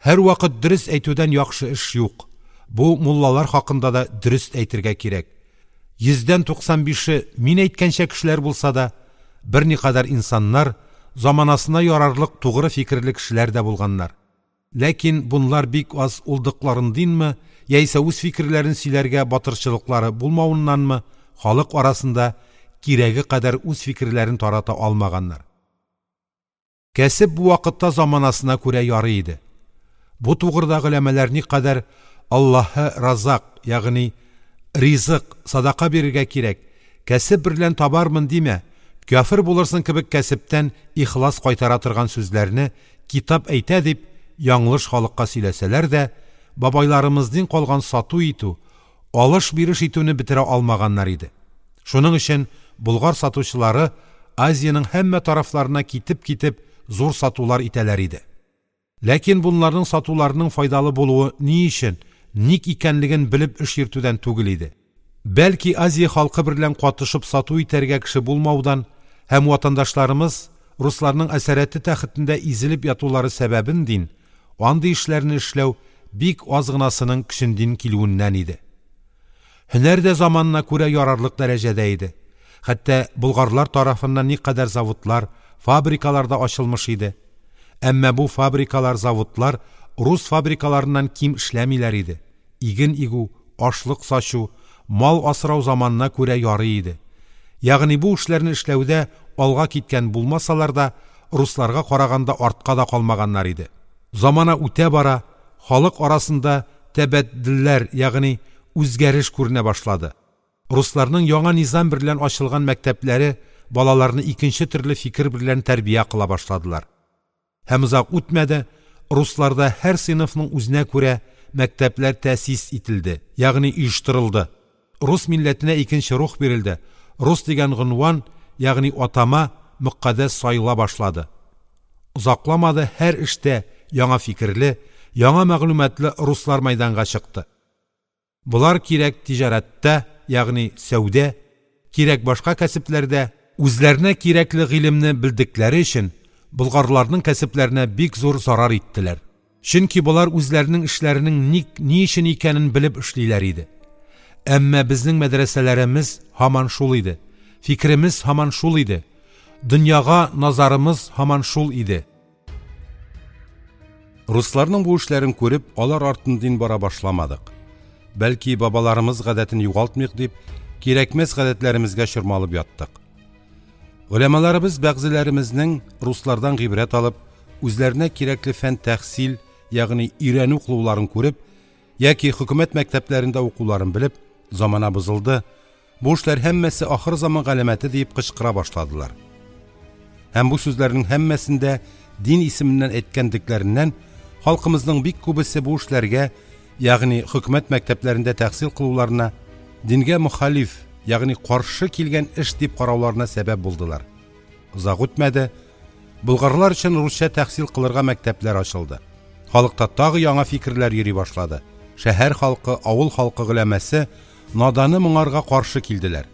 Һәрвакыт дөрест әйтүдән яхшы эш юк. Бу муллалар хакында да дөрест әйтергә кирәк. Йөздән 95-е мин әйткәнчә кешеләр булса да, берникадәр инсаннар, заманасына ярарлык тугры фикерле кешеләр дә булганнар. Ләкин бунлар бик аз улдыкларындинме яисә үз фикерләрен сөйләргә батырчылыклары булмавыннанмы, халык арасында кирәге кадәр үз фикерләрен тарата алмаганнар. Кәсеп бу вакытта заманасына күрә ярый иде. Бу тугрыда голямалар никадәр Аллаһы разак, ягъни ризык, садака бирергә кирәк, кәсеп берлән табармын димә, кяфер булырсың кебек кәсептән ихлас кайтара торган сүзләрне китап әйтә дип, яңлыш халыкка сөйләсәләр дә, бабайларымыздин калган сату итү, алыш-биреш итүне бетерә алмаганнар иде. Шуның өчен болгар сатучылары Азиянең һәммә тарафларына китеп-китеп зур сатулар итәләр иде. Ләкин бунларның сатуларының файдалы булуы ни өчен, ник икәнлеген белеп эш йөртүдән түгел иде. Бәлки Азия халкы берлән катышып сату итәргә кеше булмаудан һәм ватандашларымыз русларның әсарәте тәхетендә изелеп ятулары сәбәбендин андый эшләрне эшләү бик аз гынасының көчендин килүеннән иде. Һөнәр дә заманына күрә ярарлык дәрәҗәдә иде. Хәтта болгарлар тарафыннан никадәр заводлар, фабрикалар да ачылмыш иде. Әмма бу фабрикалар, заводлар рус фабрикаларыннан ким эшләмиләр иде. Иген игү, ашлык сачу, мал асрау заманына күрә ярый иде. Ягъни бу эшләрне эшләүдә алга киткән булмасалар да, русларга караганда артка да калмаганнар иде. Замана үтә бара, халык арасында тәбәдделләр, ягъни үзгәреш күренә башлады. Русларның яңа низам берлән ачылган мәктәпләре балаларны икенче төрле фикер берлән тәрбия кыла башладылар. Һәм озак үтмәде, русларда һәр сыйныфның үзенә күрә мәктәпләр тәэсис ителде, ягъни оештырылды. Рус милләтенә икенче рух бирелде. Рус дигән гынван, ягъни атама мөкаддәс сайыла башлады. Озакламады һәр эштә яңа фикерле, яңа мәгълүматлы руслар мәйданга чыкты. Болар кирәк тиҗарәттә, ягъни сәүдә, кирәк башка кәсепләрдә үзләренә кирәкле гыйлемне белдекләре өчен болгарларның кәсепләренә бик зур зарар иттеләр. Чөнки болар үзләренең эшләренең ник, ни өчен икәнен белеп эшлиләр иде. Әмма безнең мәдрәсәләремез һаман шул иде. Фикеремез һаман шул иде. Дөньяга назарымыз һаман шул иде. Русларның бу эшләрен күреп, алар артындин бара башламадык. Бәлки бабаларымыз гадәтен югалтмыйк дип, кирәкмәс гадәтләремезгә чормалып яттык. Голямаларыбыз бәгъзеләремезнең руслардан гыйбрәт алып, үзләренә кирәкле фән тәхсил, ягъни өйрәнү кылуларын күреп, яки хөкүмәт мәктәпләрендә укуларын белеп, замана бозылды, бу эшләр һәммәсе ахыр заман галәмәте диеп кычкыра башладылар. Һәм бу сүзләрнең һәммәсен дә дин исеменнән әйткәндекләреннән халкымызның бик күбесе бу эшләргә, ягъни хөкүмәт мәктәпләрендә тәхсил кылуларына дингә мөхалиф, ягъни каршы килгән эш дип карауларына сәбәп булдылар. Озак үтмәде, болгарлар өчен русча тәхсил кылырга мәктәпләр ачылды. Халыкта тагы яңа фикерләр йөри башлады. Шәһәр халкы, авыл халкы голямасы наданы моңарга каршы килделәр.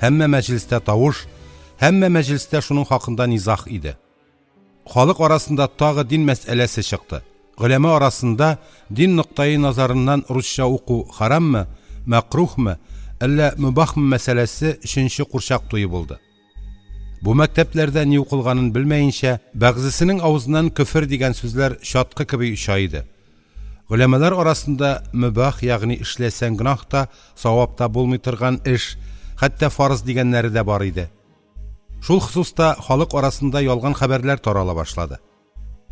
Һәммә мәҗлестә тавыш, һәммә мәҗлестә шуның хакында низаг иде. Халык арасында тагы дин мәсьәләсе чыкты. Голяма арасында дин ноктаи назарыннан русча уку хараммы, мәкрухмы, әллә мөбахмы мәсьәләсе өченче курчак туе булды. Бу мәктәпләрдә ни укылганын белмәенчә, бәгъзесенең авызыннан көфер дигән сүзләр чаткы кеби оча иде. Голямалар арасында мөбах, ягъни эшләсәң гөнаһ та, савап та булмый торган эш, хәтта фарыз дигәннәре дә бар иде. Шул хосуста халык арасында ялган хәбәрләр тарала башлады.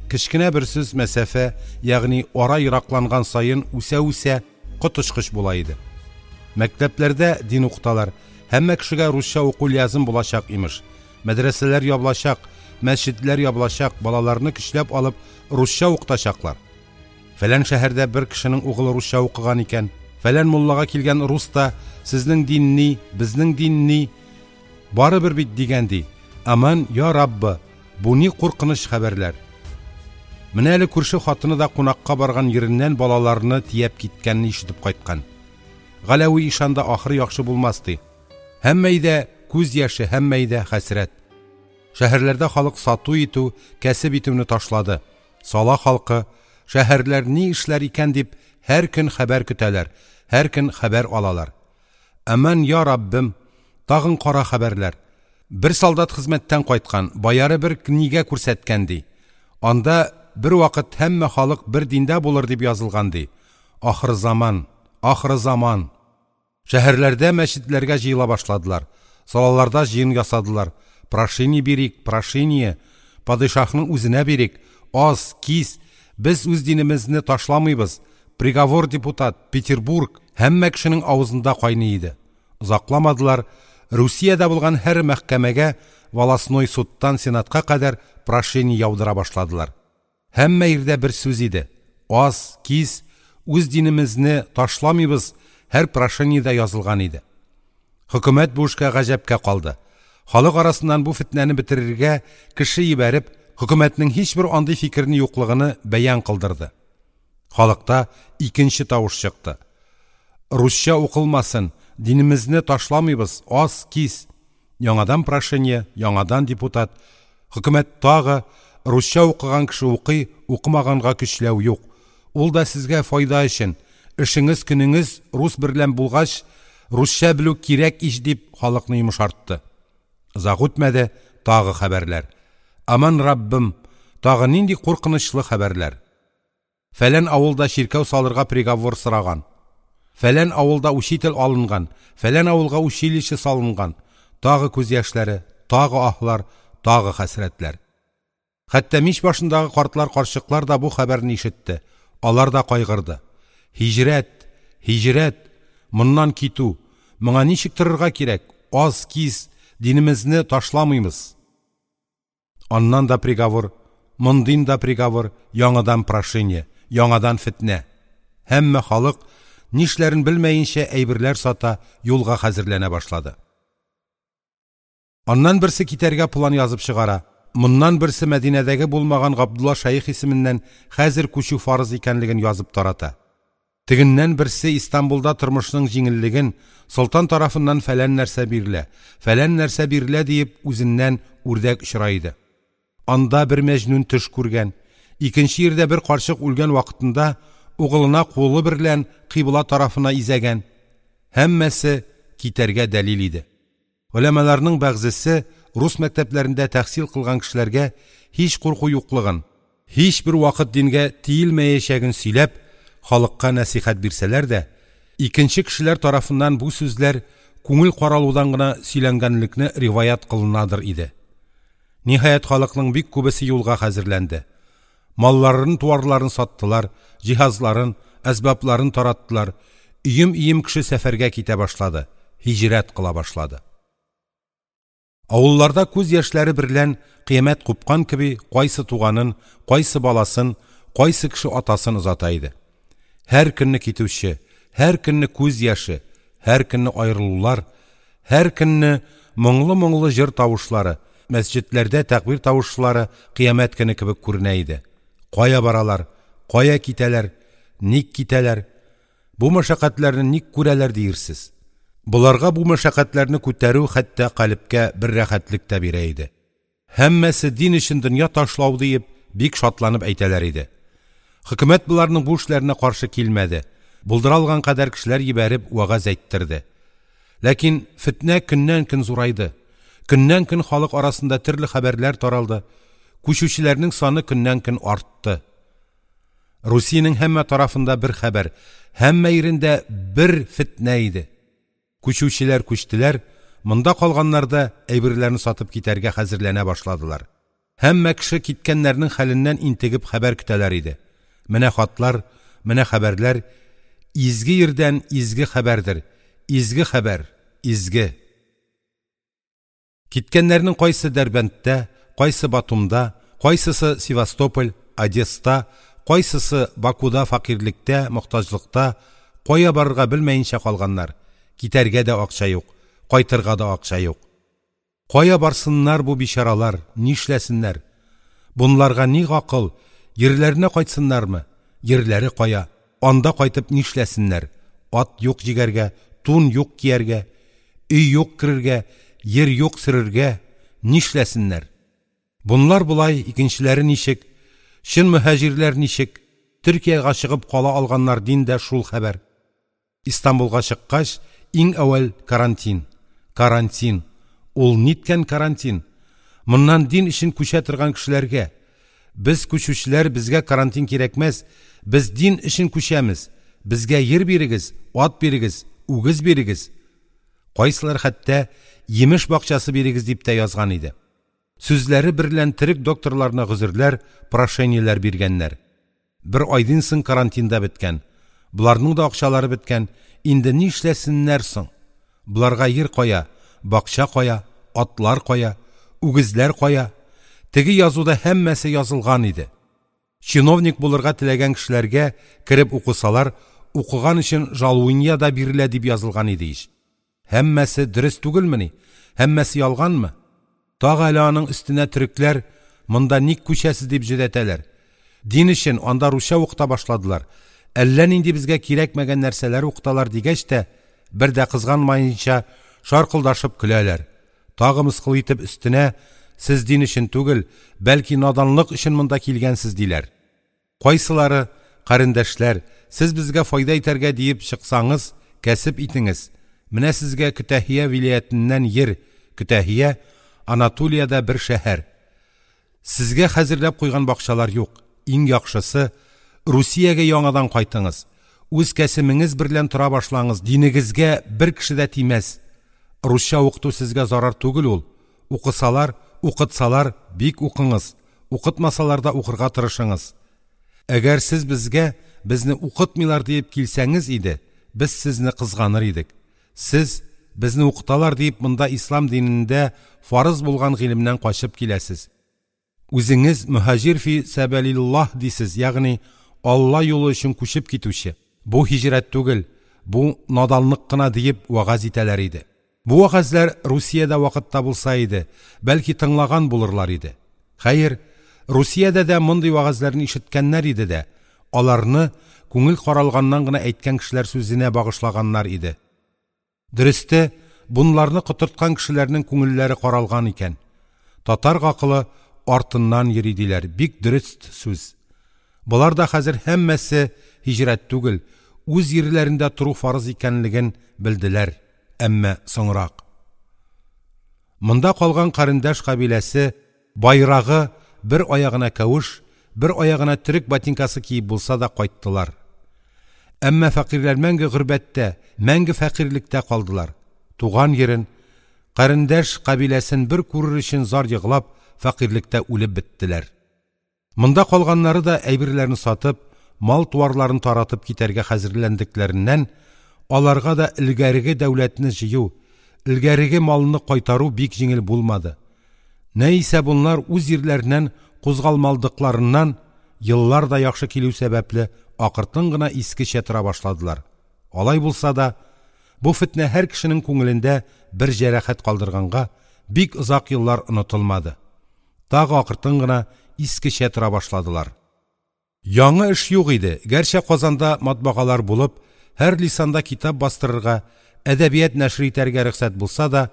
Кечкенә бер сүз мәсафә, ягъни ара еракланган саен үсә-үсә коточкыч була иде. Мәктәпләрдә дин укыталар, һәммә кешегә русча уку лязем булачак имеш. Мәдрәсәләр ябылачак, мәсҗедләр ябылачак, балаларны көчләп алып русча укытачаклар. Фәлән шәһәрдә бер кешенең угылы русча укыган икән, фәлән муллага килгән рус та сезнең дин ни, безнең дин ни, барыбер бит дигән ди. Аман я Раббы, бу ни куркыныч хәбәрләр. Менә әле күрше хатыны да кунакка барган йиреннән балаларны тияп киткәнне ишетеп кайткан. Галәви ишан да ахыры яхшы булмас ди. Һәммә өйдә күз яше, һәммә өйдә хәсрәт. Шәһәрләрдә халык сату итү, кәсеп итүне ташлады. Сала халкы, Шәһәрләр ни эшләр икән дип, һәр көн хәбәр көтәләр, һәр көн хәбәр алалар. Әман, йа Раббем, тагын кара хәбәрләр. Бер солдат хезмәттән кайткан, бояры бер книгә күрсәткән, ди. Анда бервакыт һәммә халык бер диндә булыр дип язылган, ди. Ахырзаман, ахырзаман! Шәһәрләрдә мәсҗедләргә җыела башладылар. Салаларда җыен ясадылар. Прошение бирик, прошение! Падишаһның үзенә бирик. Ас, кис, без үз динемезне ташламыймыз. Приговор, депутат, Петербург! Һәммә кешенең авызында кайный иде. Озакламадылар, Русиядә булган һәр мәхкәмәгә, волостной судтан сенатка кадәр прошение яудыра башладылар. Һәммә йирдә бер сүз иде: ас, кис, үз динемезне ташламыймыз, һәр прошениедә язылган иде. Хөкүмәт бу эшкә гаҗәпкә калды. Халык арасыннан бу фетнәне бетерергә кеше йибәреп, хөкүмәтнең һичбер андый фикерне юклыгыны бәян кылдырды. Халыкта икенче тавыш чыкты. Русча укылмасын, динемезне ташламыйбыз, ас, кис. Яңадан прошение, яңадан депутат. Хөкүмәт тагы русча укыган кеше укый, укымаганга көчләү юк. Ул да сезгә файда өчен. Эшеңез көнеңез рус берлән булгач, русча белү кирәк ич дип халыкны йомшартты. Озак үтмәде, тагы хәбәрләр. Аман Раббым, тагы нинди куркынычлы хәбәрләр. Фәлән авылда чиркәү салырга приговор сораган. Фәлән авылда учитель алынган, фәлән авылга училище салынган. Тагы күз яшьләре, тагы аһлар, тагы хәсрәтләр. Хәтта мич башындагы картлар, карчыклар да бу хәбәрне ишетте. Алар да кайгырды. Һиҗрәт, һиҗрәт, моннан китү, моңа ничек торырга кирәк? Аз кис, динемезне ташламыймыз. Аннан да приговор, мондин да приговор, яңадан прошение, яңадан фетнә. Һәммә халык нишләрен белмәенчә әйберләр сата, юлга хәзерләнә башлады. Аннан берсе китәргә план язып чыгара. Моннан берсе Мәдинәдәге булмаган Габдулла шәех исеменнән хәзер күчү фарыз икәнлеген язып тарата. Тегеннән берсе Истанбулда тормышның җиңеллеген, солтан тарафыннан фәлән нәрсә бирелә, фәлән нәрсә бирелә диеп үзеннән үрдәк очыра иде. Анда бер мәҗнүн төш күргән, икенче йирдә бер карчык үлгән вакытында угылына кулы берлән кыйбла тарафына изәгән. Һәммәсе китәргә дәлил иде. Голямаларның бәгъзесе рус мәктәпләрендә тәхсил кылган кешеләргә һич курку юклыгын, һичбер вакыт дингә тиелмәячәген сөйләп, халыкка нәсыйхәт бирсәләр дә, икенче кешеләр тарафыннан бу сүзләр күңел каралудан гына сөйләнгәнлекне риваять кылынадыр иде. Ниһаять, халыкның бик күбесе юлга хәзерләнде. Малларын, туарларын саттылар, җиһазларын, әсбабларын тараттылар. Өем-өем кеше сәфәргә китә башлады, һиҗрәт кыла башлады. Авылларда күз яшьләре берлән кыямәт купкан кеби, кайсы туганын, кайсы баласын, кайсы кеше атасын озата иде. Һәр көнне китүче, һәр көнне күз яше, һәр көнне аерылулар, һәр көнне моңлы-моңлы җыр тавышлары, мәсҗедләрдә тәкбир тавышлары кыямәт көне кебек күренә иде. Кая баралар? Кая китәләр? Ник китәләр? Бу мәшәкатьләрне ник күрәләр диерсез? Боларга бу мәшәкатьләрне күтәрү хәтта калебкә бер рәхәтлек тә бирә иде. Һәммәсе дин өчен дөнья ташлау диеп, бик шатланып әйтәләр иде. Хөкүмәт боларның бу эшләренә каршы килмәде. Булдыра алган кадәр кешеләр җибәреп вәгазь әйттерде. Ләкин фетнә көннән-көн зурайды. Көннән-көн халык арасында төрле хәбәрләр таралды. Күчүчеләрнең саны көннән-көн артты. Русиянең һәммә тарафында бер хәбәр, һәммә йирендә бер фетнә иде. Күчүчеләр күчтеләр, монда калганнар да әйберләрен сатып китәргә хәзерләнә башладылар. Һәммә кеше киткәннәрнең хәленнән интегеп хәбәр көтәләр иде. Менә хатлар, менә хәбәрләр, изге йирдән изге хәбәрдер, изге хәбәр, изге. Киткәннәрнең кайсы Дәрбәндтә, кайсы Батумда, кайсысы Севастополь, Одесста, кайсысы Бакуда фәкыйрьлектә, мохтаҗлыкта, кая барырга белмәенчә калганнар. Китәргә дә акча юк, кайтырга да акча юк. Кая барсыннар бу бичаралар, нишләсеннәр? Бунларга ни гакыл, йирләренә кайтсыннармы? Йирләре кая? Анда кайтып нишләсеннәр? Ат юк җигәргә, тун юк кияргә, өй юк керергә, йир юк сөрергә, нишләсеннәр? Бунлар болай, икенчеләре ничек? Чын мөһаҗирләр ничек? Төркиягә чыгып кала алганнардин дә шул хәбәр. Истанбулга чыккач, иң әүвәл карантин, карантин, ул ниткән карантин? Моннан дин өчен күчә торган кешеләргә: «Без күчүчеләр, безгә карантин кирәкмәс, без дин өчен күчәмез, безгә йир бирегез, ат бирегез, үгез бирегез!» Кайсылар хәтта йимеш бакчасы бирегез дип тә язган иде. Сүзләре берлән төрек докторларына гозерләр, прошениеләр биргәннәр. Бер айдин соң карантин да беткән. Боларның да акчалары беткән. Инде нишләсеннәр соң? Боларга йир кая, бакча кая, атлар кая, үгезләр кая? Теге язуда һәммәсе язылган иде. Чиновник булырга теләгән кешеләргә кереп укысалар, укыган өчен жалуния да бирелә дип язылган иде ич. Һәммәсе дөрест түгелмени? Һәммәсе ялганмы? Тагы әле аның өстенә төрекләр монда ник күчәсез дип җөдәтәләр. Дин өчен анда русча укыта башладылар. Әллә нинди безгә кирәкмәгән нәрсәләр укыталар дигәч тә, бер дә кызганмаенча шаркылдашып көләләр. Тагы мыскыл итеп өстенә сез дин өчен түгел, бәлки наданлык өчен монда килгәнсез диләр. Кайсылары, карендәшләр, сез безгә файда итәргә диеп чыксаңыз, кәсеп итеңез. Менә сезгә Көтәһия вилаятеннән йир, Көтәһия Анатолиядә бер шәһәр. Сезгә хәзерләп куйган бакчалар юк. Иң яхшысы Русиягә яңадан кайтыңыз. Үз кәсемеңез берлән тора башлаңыз. Динегезгә бер кеше дә тимәс. Русча укыту сезгә зарар түгел ул. Укысалар, укытсалар, бик укыңыз. Укытмасалар да укырга тырышыңыз. Әгәр сез безгә, безне укытмыйлар диеп килсәңез иде, без сезне кызганыр идек. Сез безне укыталар диеп монда ислам динендә фарыз булган гыйлемнән качып киләсез. Үзеңез мөһаҗир фи сәбәлиллаһ дисез, ягъни Алла юлы өчен күчеп китүче. Бу һиҗрәт түгел, бу наданлык кына диеп вәгазь итәләр иде. Бу вәгазьләр Русиядә вакытта булса иде, бәлки тыңлаган булырлар иде. Хәер, Русиядә дә мондый вәгазьләрне ишеткәннәр иде дә, аларны күңел каралганнан гына әйткән кешеләр сүзенә багышлаганнар иде. Дөресте, бунларны котырткан кешеләрнең күңелләре каралган икән. Татар гакылы артыннан йөри диләр, бик дөрест сүз. Болар да хәзер һәммәсе һиҗрәт түгел, үз йирләрендә тору фарыз икәнлеген белделәр, әмма соңрак. Монда калган карендәш кабиләсе байрагы бер аягына кәвеш, бер аягына төрек ботинкасы киеп булса да кайттылар. Әмма фәкыйрьләр мәңге горбәттә, мәңге фәкыйрьлектә калдылар. Туган йирен, карендәш кабиләсен бер күрер өчен зар еглап, фәкыйрьлектә үлеп беттеләр. Монда калганнары да әйберләрен сатып, мал-туарларын таратып китәргә хәзерләндекләреннән, аларга да элгәреге дәүләтне җыю, элгәреге малны кайтару бик җиңел булмады. Нә исә бунлар үз йирләреннән кузгалмалдыкларыннан еллар да яхшы килү сәбәпле акыртын гына искечә тора башладылар. Алай булса да, бу фетнә һәр кешенең күңелендә бер җәрәхәт калдырганга бик озак еллар онытылмады. Тагы акыртын гына искечә тора башладылар. Яңы эш юк иде. Гәрчә Казанда матбагалар булып, һәр лисанда китап бастырырга, әдәбият нәшер итәргә рөхсәт булса да,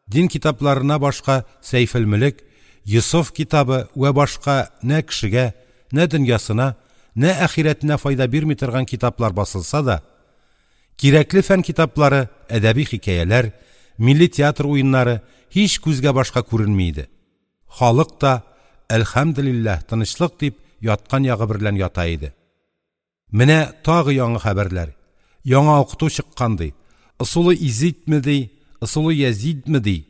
дин китапларына башка Сәйфелмөлек, Йосыф китабы вә башка нә кешегә, нә дөньясына, нә ахирәтенә файда бирми торган китаплар басылса да, кирәкле фән китаплары, әдәби хикәяләр, милли театр уеннары һич күзгә башка күренми иде. Халык та әлхәмдүлиллаһ тынычлык дип яткан ягы берлән ята иде. Менә тагы яңы хәбәрләр. Яңа укыту чыккан ди. Ысулы изитме ди, ысулы язидме ди.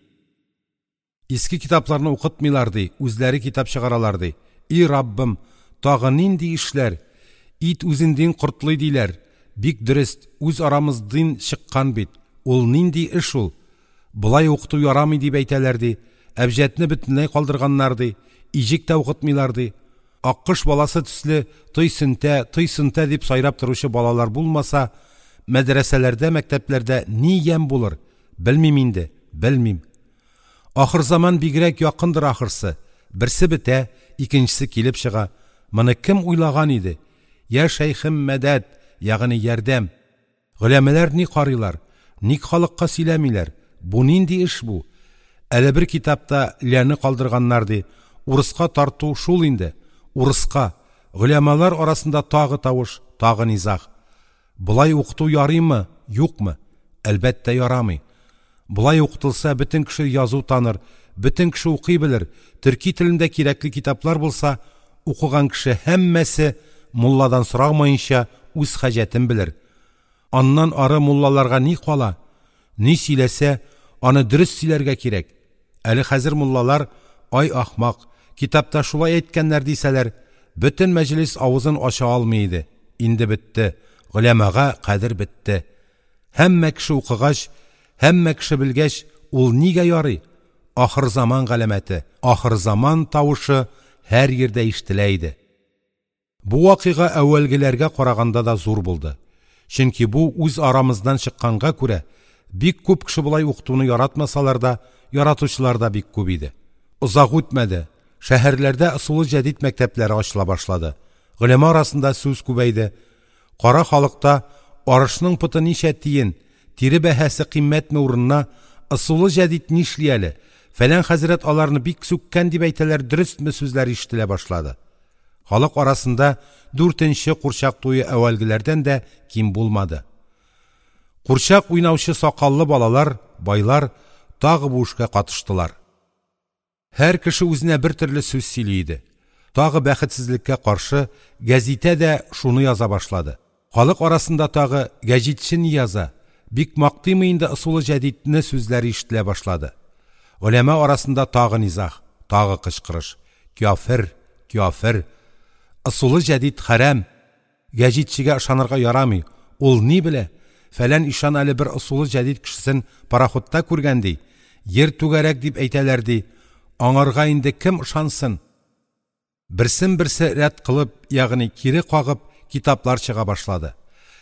Иске китапларны укытмыйлар ди, үзләре китап чыгаралар ди. И Раббым, тагы нинди эшләр? Ит үзендин кортлый диләр. Бик дөрест, үз арамыздин чыккан бит. Ул нинди эш ул? Болай укыту ярамый дип әйтәләр ди. Әбҗәдне бөтенләй калдырганнар ди. Иҗек тә укытмыйлар ди. Аккош баласы төсле той сөнтә, той сөнтә дип сайрап торучы балалар булмаса, мәдрәсәләрдә, мәктәпләрдә ни ямь булыр? Белмим инде, белмим. Ахыр заман бигрәк якындыр ахырсы. Берсе бетә, икенчесе килеп чыга. Моны кем уйлаган иде? Я шәйхем мәдәд, ягъни ярдәм. Голәмәләр ни карыйлар? Ник халыкка сөйләмиләр? Бу нинди эш бу? Әле бер китапта ляны калдырганнар ди. Урыска тарту шул инде. Урыска. Голямалар арасында тагы тавыш, тагы низаг. Болай укыту ярыймы, юкмы? Әлбәттә, ярамый. Болай укытылса, бөтен кеше язу таныр, бөтен кеше укый белер, төрки телендә кирәкле китаплар булса, укыган кеше һәммәсе, мулладан сорамаенча, үз хаҗәтен белер. Аннан ары муллаларга ни кала? Ни сөйләсә, аны дөрест сөйләргә кирәк. Әле хәзер муллалар: «Ай ахмак, китапта шулай әйткәннәр», – дисәләр, бөтен мәҗлес авызын ача алмый иде. Инде бетте, голямага кадер бетте. Һәммә кеше укыгач, һәммә кеше белгәч, ул нигә ярый? Ахырзаман галәмәте, ахырзаман тавышы һәр йирдә ишетелә иде. Бу вакыйга әүвәлгеләргә караганда да зур булды. Чөнки бу үз арамыздан чыкканга күрә, бик күп кеше болай укытуны яратмасалар да, яратучылар да бик күп иде. Озак үтмәде, шәһәрләрдә ысулы җәдит мәктәпләре ачыла башлады. Голяма арасында сүз күбәйде. Кара халыкта арышның поты ничә тиен, тире бәһасе кыйммәтме урынына ысулы җәдит нишли әле, фәлән хәзрәт аларны бик сүккән дип әйтәләр, дөрестме сүзләр ишетелә башлады. Халык арасында дүртенче курчак туе әүвәлгеләрдән дә ким булмады. Курчак уйнаучы сакаллы балалар, байлар тагы бу эшкә катыштылар. Һәр кеше үзенә бер төрле сүз сөйли иде. Тагы бәхетсезлеккә каршы гәзитә дә шуны яза башлады. Халык арасында тагы гәҗитче ни яза, бик мактыймы инде ысулы җәдитне сүзләре ишетелә башлады. Голяма арасында тагы низаг, тагы кычкырыш. Кяфер, кяфер. Ысулы җәдит хәрам. Гәҗитчегә ышанырга ярамый. Ул ни белә? Фәлән ишан әле бер ысулы җәдит кешесен пароходта күргән ди. Ер түгәрәк дип әйтәләр ди. Аңарга инде кем ышансын? Берсен берсе рәт кылып, ягъни кире кагып, китаплар чыга башлады.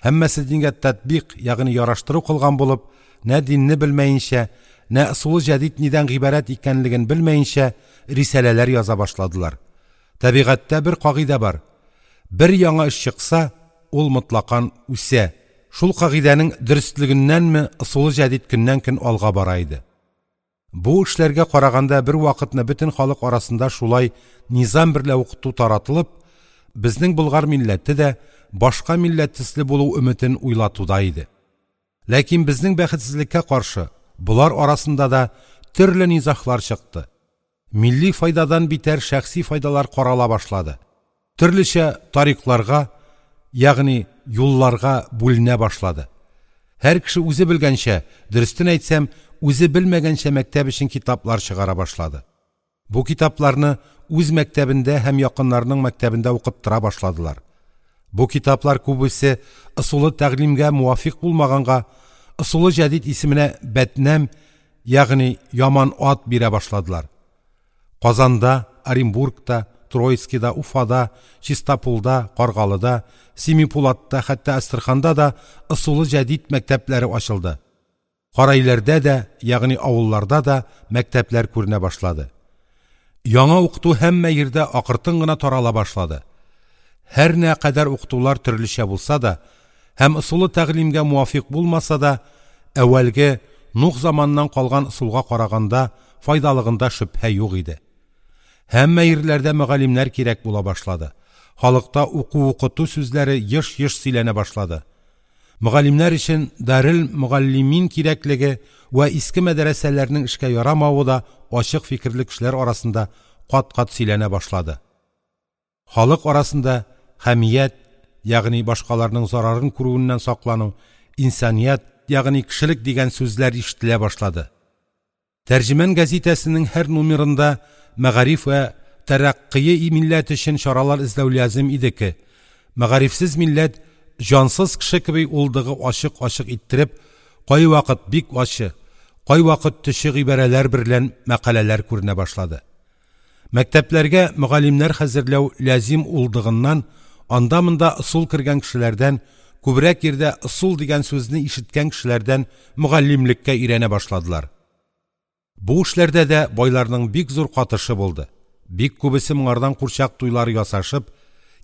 Һәммәсе дингә татбик, ягъни яраштыру кылган булып, нә динне белмәенчә, нә ысулы җәдит нидән гыйбарәт икәнлеген белмәенчә, рисаләләр яза башладылар. Табигатьтә бер кагыйдә бар. Бер яңа эш чыкса, ул мотлакан үсә. Шул кагыйдәнең дөрестлегеннәнме ысулы җәдит көннән-көн алга бара иде. Бу эшләргә караганда бер вакытны бөтен халык арасында шулай низам берлә укыту таратылып, безнең болгар милләте дә башка милләт төсле булу өметен уйлатуда иде. Ләкин безнең бәхетсезлеккә каршы, болар арасында да төрле низаглар чыкты. Милли файдадан битәр шәхси файдалар карала башлады. Төрлечә тарикларга, ягъни юлларга бүленә башлады. Һәр кеше үзе белгәнчә, дөрестен әйтсәм, үзе белмәгәнчә мәктәп өчен китаплар чыгара башлады. Бу китапларны үз мәктәбендә һәм якыннарының мәктәбендә укыттыра башладылар. Бу китаплар күбесе ысулы тәгълимгә муафик булмаганга, ысулы җәдит исеменә бәтнәм, ягъни яман ат бирә башладылар. Казанда, Оренбургта, Троицкида, Уфада, Чистапулда, Каргалыда, Семипулатта, хәтта Әстерханда да ысулы җәдит мәктәпләре ачылды. Карайларда да, ягъни авылларда да мәктәпләр күренә башлады. Яңа укыту һәммә йирдә акыртын гына тарала башлады. Һәр нә кадәр укытулар төрлечә булса да һәм ысулы тәгълимгә муафик булмаса да, әүвәлге Нух заманыннан калган ысулга караганда файдалыгында шөбһә юк иде. Һәммә йирләрдә мөгаллимнәр кирәк була башлады. Халыкта уку-укыту сүзләре еш-еш сөйләнә башлады. Мөгаллимнәр өчен дарел мөгаллимин кирәклеге вә иске мәдрәсәләрнең эшкә ярамавы да ачык фикерле кешеләр арасында кат-кат сөйләнә башлады. Халык арасында хәмият, ягъни башкаларның зарарын күрүеннән саклану, инсаният, ягъни кешелек дигән сүзләр ишетелә башлады. Тәрҗеман гәзитәсенең һәр номерында мәгариф вә тәрәкъкые милләт өчен чаралар эзләү лязем идеке. Мәгарифсез милләт җансыз кеше кеби улдыгы ачык-ачык иттереп, кайвакыт бик ачы, кайвакыт төче гыйбарәләр берлән мәкаләләр күренә башлады. Мәктәпләргә мөгаллимнәр хәзерләү лязим улдыгыннан, анда-монда ысул кергән кешеләрдән, күбрәк йирдә ысул дигән сүзне ишеткән кешеләрдән мөгаллимлеккә өйрәнә башладылар. Бу эшләрдә дә байларның бик зур катышы булды. Бик күбесе моңардан курчак туйлары ясашып,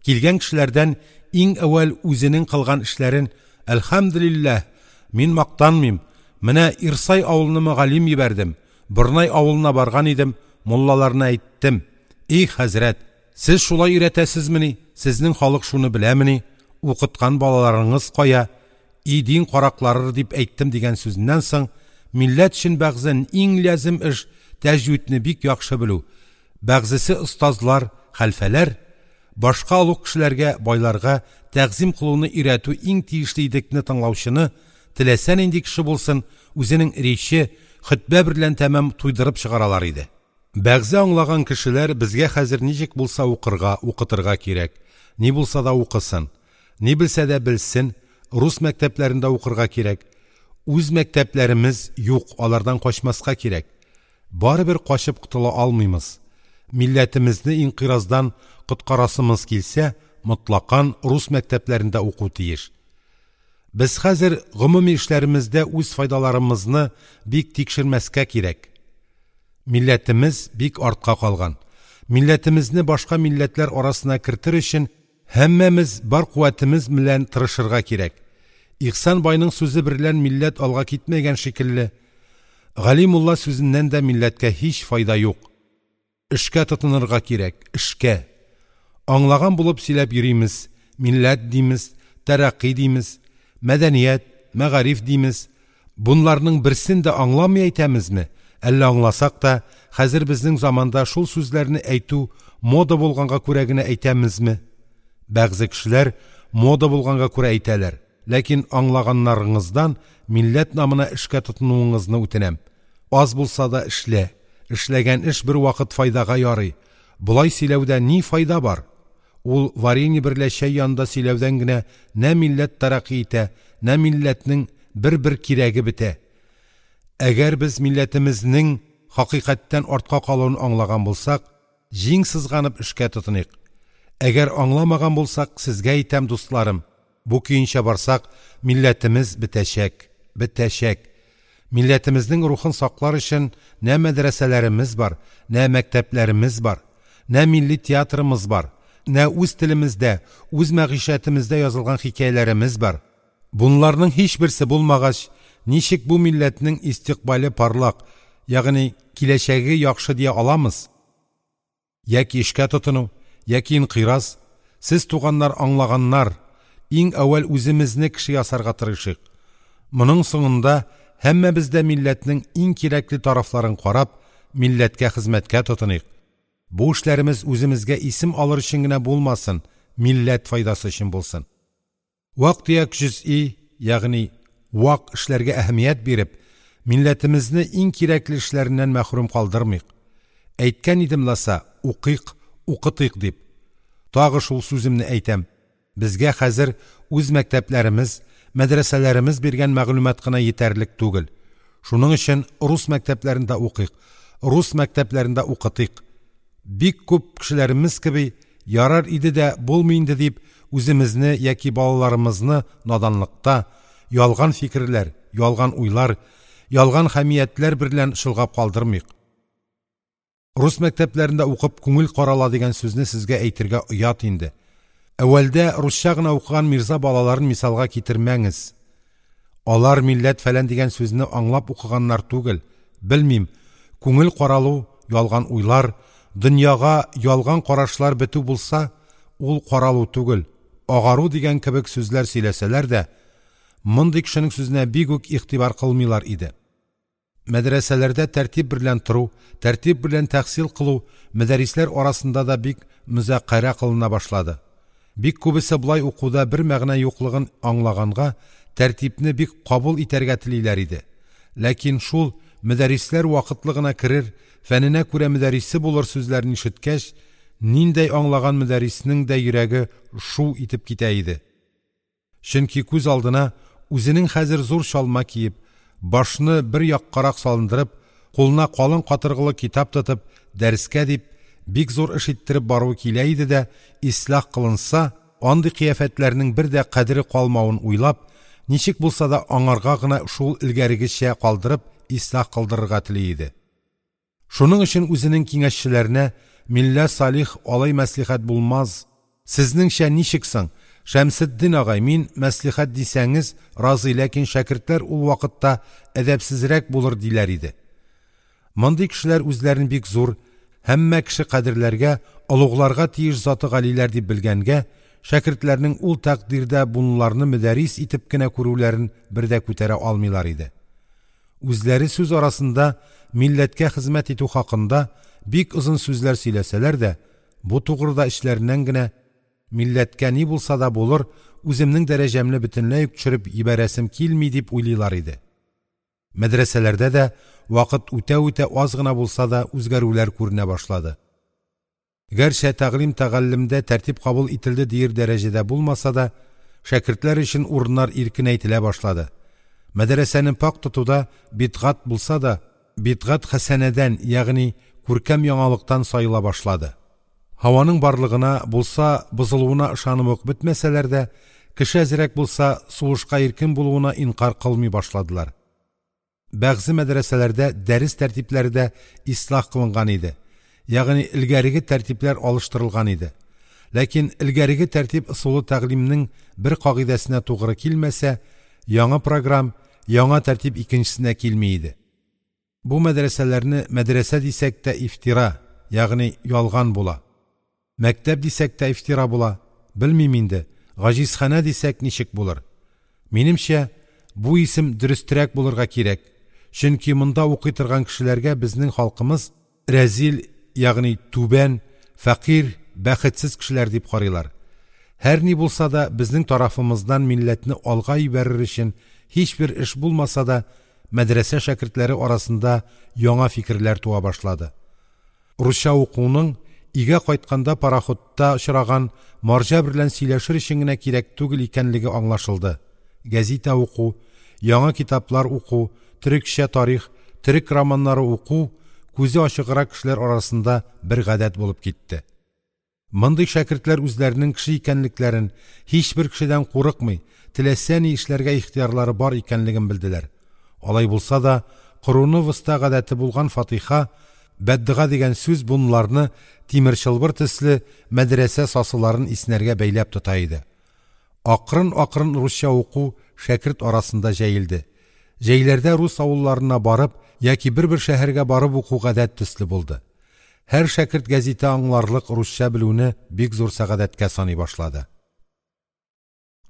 килгән кешеләрдән иң әүвәл үзенең кылган эшләрен «Әлхәмдүлиллаһ, мин мактанмыйм, менә Ирсай авылына мөгаллим җибәрдем, Борнай авылына барган идем, муллаларына әйттем: "И хәзрәт! Сез шулай өйрәтәсезмени, сезнең халык шуны беләмени, укыткан балаларыңыз кая, и дин караклары дип әйттем дигән сүзеннән соң, милләт өчен бәгъзен иң лязем эш тәҗвидне бик яхшы белү, бәгъзесе остазлар, хәлфәләр, башка олуг кешеләргә, байларга тәгъзыйм кылуны өйрәтү иң тиешле идекне тыңлаучыны, теләсә нинди кеше булсын, үзенең рече, хөтбә берлән тәмам туйдырып чыгаралар иде. Бәгъзе аңлаган кешеләр безгә хәзер ничек булса укырга, укытырга кирәк, ни булса да укысын, ни белсә дә белсен, рус мәктәпләрендә укырга кирәк, үз мәктәпләремез юк, алардан качмаска кирәк. Барыбер качып котыла алмыймыз. Милләтемезне инкыйраздан коткарасымыз килсә, мотлакан рус мәктәпләрендә уку тиеш. Без хәзер гомуми эшләремездә үз файдаларымызны бик тикшермәскә кирәк. Милләтемез бик артка калган. Милләтемезне башка милләтләр арасына кертер өчен һәммәмез бар куәтемез белән тырышырга кирәк. Ихсан байның сүзе берлән милләт алга китмәгән шикелле, Гали мулла сүзеннән дә милләткә һич файда юк. Эшкә тотынырга кирәк, эшкә. Аңлаган булып сөйләп йөримез, милләт димез, тәрәкъкый димез, мәдәният, мәгариф димез. Бунларның берсен дә аңламый әйтәмезме? Әллә аңласак та, хәзер безнең заманда шул сүзләрне әйтү мода булганга күрә генә әйтәмезме? Бәгъзе кешеләр мода булганга күрә әйтәләр. Ләкин аңлаганнарыңыздан милләт намына эшкә тотынуыңызны үтенәм. Аз булса да эшлә. Эшләгән эш бер вакыт файдага ярый. Болай сөйләүдә ни файда бар? Ул варенье берлә чәй янында сөйләүдән генә нә милләт тәрәкъкый итә, нә милләтнең бер-бер кирәге бетә. Әгәр без милләтемезнең хакыйкатьтән артка калуын аңлаган булсак, җиң сызганып эшкә тотыныйк. Әгәр аңламаган булсак, сезгә әйтәм, дусларым, бу көенчә барсак, милләтемез бетәчәк, бетәчәк. Милләтемезнең рухын саклар өчен нә мәдрәсәләремез бар, нә мәктәпләремез бар, нә милли театрымыз бар, нә үз телемездә, үз мәгыйшәтемездә язылган хикәяләремез бар. Бунларның һичберсе булмагач, ничек бу милләтнең истикъбале парлак, ягъни киләчәге яхшы дия аламыз? Яки эшкә тотыну, яки инкыйраз. Сез туганнар аңлаганнар, иң әүвәл үземезне кеше ясарга тырышыйк. Моның соңында һәммәбез дә милләтнең иң кирәкле тарафларын карап, милләткә хезмәткә тотыныйк. Бу эшләремез үземезгә исем алыр өчен генә булмасын, милләт файдасы өчен булсын. Вак-төяк җөз'i, ягъни вак эшләргә әһәмият биреп, милләтемезне иң кирәкле эшләреннән мәхрүм калдырмыйк. Әйткән идем ласа, укыйк, укытыйк дип. Тагы шул сүземне әйтәм. Безгә хәзер үз мәктәпләремез, мәдрәсәләремез биргән мәгълүмат кына йитәрлек түгел. Шуның өчен рус мәктәпләрендә укыйк, рус мәктәпләрендә укытыйк. Бик күп кешеләремез кеби, ярар иде дә булмый инде дип, үземезне яки балаларымызны наданлыкта, ялган фикерләр, ялган уйлар, ялган хәмиятләр берлән чолгап калдырмыйк. Рус мәктәпләрендә укып күңел карала дигән сүзне сезгә әйтергә оят инде. Әүвәлдә русча гына укыган мирза балаларын мисалга китермәңез. Алар милләт фәлән дигән сүзне аңлап укыганнар түгел. Белмим, күңел каралу, ялган уйлар, дөньяга ялган карашлар бетү булса, ул каралу түгел, агару дигән кебек сүзләр сөйләсәләр дә, мондый кешенең сүзенә бик үк игътибар кылмыйлар иде. Мәдрәсәләрдә тәртип берлән тору, тәртип берлән тәхсил кылу мөдәррисләр арасында да бик мөзакәрә кылына башлады. Бик күбесе болай укуда бер мәгънә юклыгын аңлаганга, тәртипне бик кабул итәргә телиләр иде. Ләкин шул мөдәррисләр вакытлы гына керер, фәненә күрә мөдәррисе булыр сүзләрен ишеткәч, ниндәй аңлаган мөдәрриснең дә йөрәге шу итеп китә иде. Чөнки күз алдына үзенең хәзер зур чалма киеп, башны бер яккарак салындырып, кулына калын катыргылы китап тотып, дәрескә дип, бик зур эш иттереп баруы килә иде дә, ислах кылынса, андый кыяфәтләрнең бер дә кадере калмавын уйлап, ничек булса да аңарга гына шул элгәрегечә калдырып, ислах кылдырырга тели иде. Шуның өчен үзенең киңәшчеләренә милла Салих алай мәслихәт булмаз. Сезнеңчә ничек соң? Шәмсетдин агай, мин мәслихәт дисәңез, разый, ләкин шәкертләр ул вакытта әдәпсезрәк булыр диләр иде. Мондый кешеләр үзләрен бик зур, Һәммә кеше кадерләргә, олугларга тиеш заты галиләр дип белгәнгә, шәкертләрнең ул тәкъдирдә бунларны мөдәррис итеп кенә күрүләрен бер дә күтәрә алмыйлар иде. Үзләре сүз арасында милләткә хезмәт итү хакында бик озын сүзләр сөйләсәләр дә, бу тугрыда эчләреннән генә милләткә ни булса да булыр, үземнең дәрәҗәмне бөтенләй үк төшереп йибәрәсем килми дип уйлыйлар иде. Мәдрәсәләрдә дә вакыт үтә-үтә аз гына булса да үзгәрүләр күренә башлады. Гәрчә тәгълим-тәгаллемдә тәртип кабул ителде диер дәрәҗәдә булмаса да, шәкертләр өчен урыннар иркенәйтелә башлады. Мәдрәсәне пакь тотуда бидгать булса да, бидгать хәсәнәдән, ягъни күркәм яңалыктан саела башлады. Һаваның барлыгына, булса, бозылуына ышанып ук бетмәсәләр дә, кеше әзрәк булса, сулышка иркен булуына инкяр кылмый башладылар. Бәгъзе мәдрәсәләрдә дәрес тәртипләре дә ислах кылынган иде. Ягъни элгәреге тәртипләр алыштырылган иде. Ләкин элгәреге тәртип ысулы тәгълимнең бер кагыйдәсенә тугры килмәсә, яңа программ, яңа тәртип икенчесенә килми иде. Бу мәдрәсәләрне мәдрәсә дисәк тә ифтира, ягъни ялган була. Мәктәп дисәк тә ифтира була. Белмим инде, гаҗизханә дисәк ничек булыр? Минемчә, бу исем дөрестрәк булырга кирәк. Чөнки монда укый торган кешеләргә безнең халкымыз рәзил, ягъни түбән, фәкыйрь, бәхетсез кешеләр дип карыйлар. Һәр ни булса да безнең тарафымыздан милләтне алга җибәрер өчен һичбер эш булмаса да, мәдрәсә шәкертләре арасында яңа фикерләр туа башлады. Русча укуның өйгә кайтканда пароходта очраган марҗа берлән сөйләшер өчен генә кирәк түгел икәнлеге аңлашылды. Гәзитә уку, яңа китаплар уку, төрекчә тарих, төрек романнары уку күзе ачыграк кешеләр арасында бер гадәт булып китте. Мондый шәкертләр үзләренең кеше икәнлекләрен, һичбер кешедән курыкмый, теләсә ни эшләргә ихтыярлары бар икәнлеген белделәр. Алай булса да, короны воста гадәте булган фатиха, бәддога дигән сүз бунларны тимер чылбыр төсле мәдрәсә сасыларын иснәргә бәйләп тота иде. Акрын-акрын русча уку шәкерт арасында җәелде. Җәйләрдә рус авылларына барып яки бер-бер шәһәргә барып уку гадәт төсле булды. Һәр шәкерт гәзитә аңларлык русча белүне бик зур сәгадәткә саный башлады.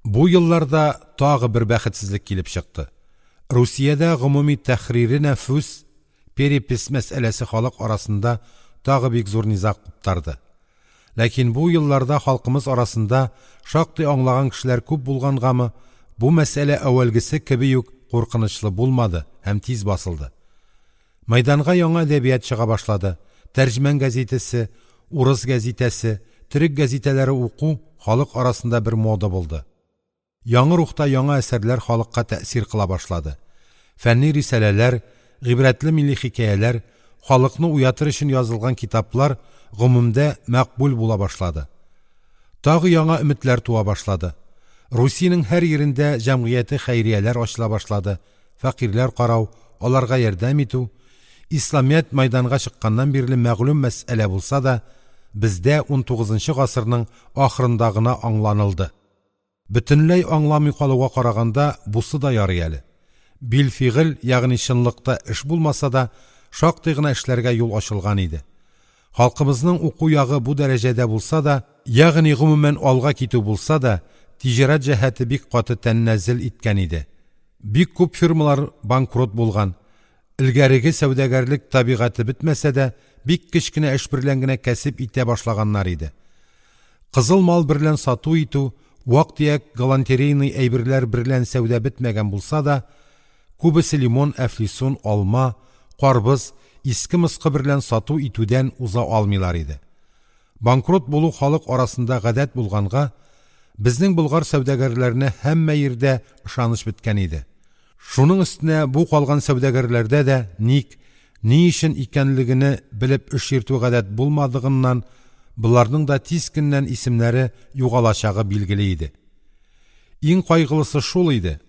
Бу елларда тагы бер бәхетсезлек килеп чыкты. Русиядә гомуми тәхрире нәфүс, перепись мәсьәләсе халык арасында тагы бик зур низаг куптарды. Ләкин бу елларда халкымыз арасында шактый аңлаган кешеләр күп булгангамы, бу мәсьәлә әүвәлгесе кеби үк куркынычлы булмады һәм тиз басылды. Мәйданга яңа әдәбият чыга башлады. Тәрҗемән гәзитәсе, урыс гәзитәсе, төрек гәзитәләре уку халык арасында бер мода булды. Яңа рухта яңа әсәрләр халыкка тәэсир кыла башлады. Фәнни рисаләләр, гыйбрәтле милли хикәяләр, халыкны уятыр өчен язылган китаплар гомумдә мәкъбул була башлады. Тагы яңа өметләр туа башлады. Русиянең һәр йирендә җәмгыяте хәйрияләр ачыла башлады. Фәкыйрьләр карау, аларга ярдәм итү, Исламият мәйданга чыкканнан бирле мәгълүм мәсьәлә булса да, бездә 19нчы гасырның ахырында гына аңланылды. Бөтенләй аңламый калуга караганда бусы да ярый әле. Билфигыль, ягъни чынлыкта эш булмаса да, шактый гына эшләргә юл ачылган иде. Халкымызның уку ягы бу дәрәҗәдә булса да, ягъни гомумән алга китү булса да, тиҗарәт җәһәте бик каты тәннәзел иткән иде. Бик күп фирмалар банкрот булган. Элгәреге сәүдәгәрлек табигате бетмәсә дә, бик кечкенә эш берлән генә кәсеп итә башлаганнар иде. Кызыл мал берлән сату итү, вак-төяк галантерейный әйберләр берлән сәүдә бетмәгән булса да, күбесе лимон, әфлисун, алма, карбыз, иске-москы берлән сату итүдән уза алмыйлар иде. Банкрот булу халык арасында гадәт булганга, безнең болгар сәүдәгәрләренә һәммә йирдә ышаныч беткән иде. Шуның өстенә бу калган сәүдәгәрләрдә дә ник, ни өчен икәнлегене белеп эш йөртү гадәт булмадыгыннан, боларның да тиз көннән исемнәре югалачагы билгеле иде. Иң кайгылысы шул иде: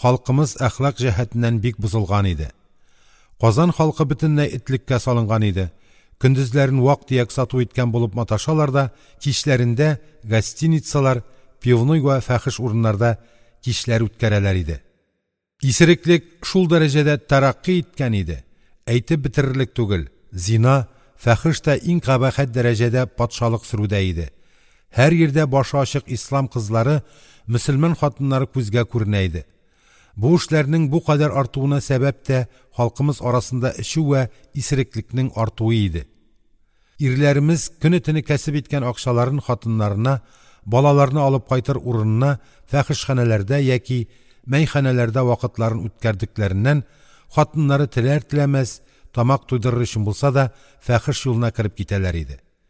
халкымыз әхлак җәһәтеннән бик бозылган иде. Казан халкы бөтенләй этлеккә салынган иде. Көндезләрен вак-төяк сату иткән булып маташалар да, кичләрендә гостиницалар, пивной вә фахиш урыннарда кичләр үткәрәләр иде. Исереклек шул дәрәҗәдә тәрәкъкый иткән иде, әйтеп бетерерлек түгел. Зина, фахеш тә иң кабахәт дәрәҗәдә патшалык сөрүдә иде. Һәр йирдә башы ачык ислам кызлары, мөселман хатыннары күзгә күренә иде. Бу эшләрнең бу кадәр артуына сәбәп тә халкымыз арасында эчү вә исереклекнең артуы иде. Ирләремез көне-төне кәсеп иткән акчаларын хатыннарына, балаларына алып кайтыр урынына фахешханәләрдә яки мәйханәләрдә вакытларын үткәрдекләреннән, хатыннары теләр-теләмәс, тамак туйдырыр өчен булса да, фахеш юлына кереп китәләр иде.